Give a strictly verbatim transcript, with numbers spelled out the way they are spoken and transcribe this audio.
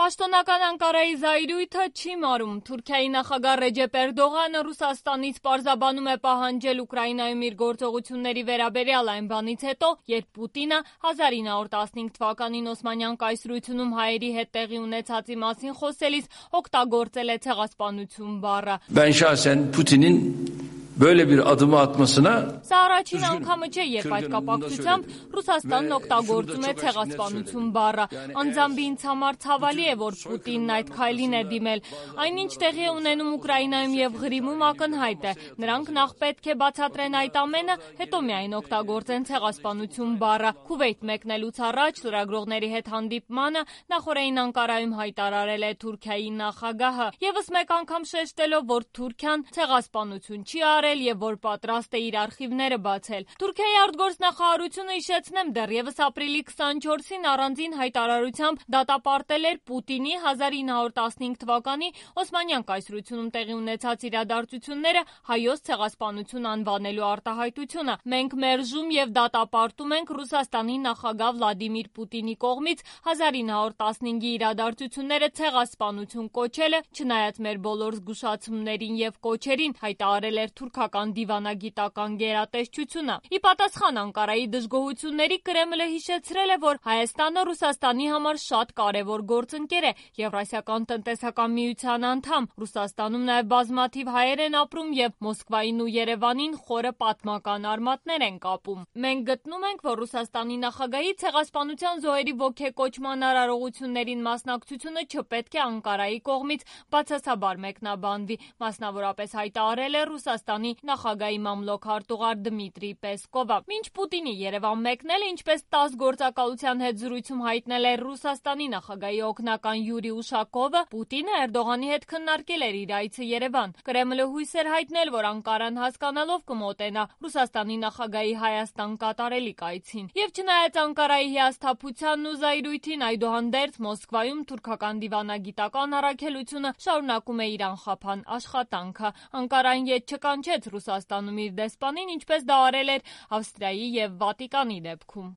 Պաշտոնական Անկարայի զայրույթը չի մարում։ Թուրքիայի նախագահ Ռեջեփ Էրդողանը Ռուսաստանից պարզաբանում է պահանջել Ուկրաինայում իր գործողությունների վերաբերյալ այն բանից հետո, երբ Պուտինը հազար ինը հարյուր տասնհինգ թվականին Օսմանյան կայսրությունում հայերի հետ տեղի ունեցածի մասին խոսելիս օգտագործել է ցեղասպանություն բառը։ Ben şahsen Putin'in böyle bir adımı atmasına Սա առաջին անգամը չէ, երբ այդ կապակցությամբ Ռուսաստանն օգտագործում է ցեղասպանություն բառը։ Անձամբ ինձ համար ցավալի է, որ Պուտինն այդ քայլին է դիմել։ Այնինչ տեղի է ունենում Ուկրաինայում եւ Ղրիմում ակնհայտ է։ Նրանք նախ պետք է բացատրեն այդ ամենը, հետո միայն օգտագործեն ցեղասպանություն բառը։ Քուվեյթ մեկնելուց առաջ լրագրողների հետ հանդիպմանը նախորդին Անկարայում հայտարարել է Թուրքիայի նախագահը, եւս մեկ անգամ շեշտելով, որ Թուրքիան ցեղասպանություն չի արել եւ որ պատրաստ է իր արխիվները բացել։ Թուրքիայի արտգործնախարարությունը հիշեցնեմ դեռևս ապրիլի քսանչորսին առանձին հայտարարությամբ դատապարտել էր Պուտինի հազար ինը հարյուր տասնհինգ թվականի Օսմանյան կայսրությունում տեղի ունեցած իրադարձությունները հայոց ցեղասպանություն անվանելու արտահայտությունը։ Մենք մերժում եւ դատապարտում ենք Ռուսաստանի նախագահ Վլադիմիր Պուտինի կողմից հազար ինը հարյուր տասնհինգի իրադարձությունները ցեղասպանություն կոչելը, չնայած մեր բոլոր զգուշացումներին եւ կոչերին, հայտարարել էր թուրքական դիվանագիտական գերատեսչությունը։ Ի պատասխան Անկարայի դժգոհությունների Կրեմլը հիշեցրել է, որ Հայաստանը Ռուսաստանի համար շատ կարևոր գործընկեր է, Եվրասիական տնտեսական միության անդամ։ Ռուսաստանում նաև բազմաթիվ հայեր են ապրում եւ Մոսկվային ու Երևանին խորը պատմական արմատներ են կապում։ Մենք գտնում ենք, որ Ռուսաստանի նախագահի ցեղասպանության զոհերի ոգեկոչման արարողություններին մասնակցությունը չպետք է Անկարայի կողմից բացասաբար մեկնաբանվի, մասնավորապես հայտարարել է Ռուսաստանի նախագահի մամլոք արտուղար Դմիտրի Պեսկովը։ Մինչ Պուտինի Երևան մեկնելը, ինչպես տաս գործակալության հետ զրույցում հայտնել էր Ռուսաստանի նախագահի օգնական Յուրի Ուշակովը, Պուտինը Էրդողանի հետ քննարկել էր իր այցը Երևան։ Կրեմլը հույս էր հայտնել, որ Անկարան հասկանալով կմոտենա Ռուսաստանի նախագահի Հայաստան կատարելիք այցին։ Եվ չնայած Անկարայի հիասթափությանն ու զայրույթին, այդուհանդերձ Մոսկվայում թուրքական դիվանագիտական առաքելությունը շարունակում է իր անխափան աշխատանքը։ Անկարան ետ չկանչեց Ռուսաստանում իր դեսպանին, ինչպես դա արել էր Ավստրիայի եւ Վատիկանի դեպքում։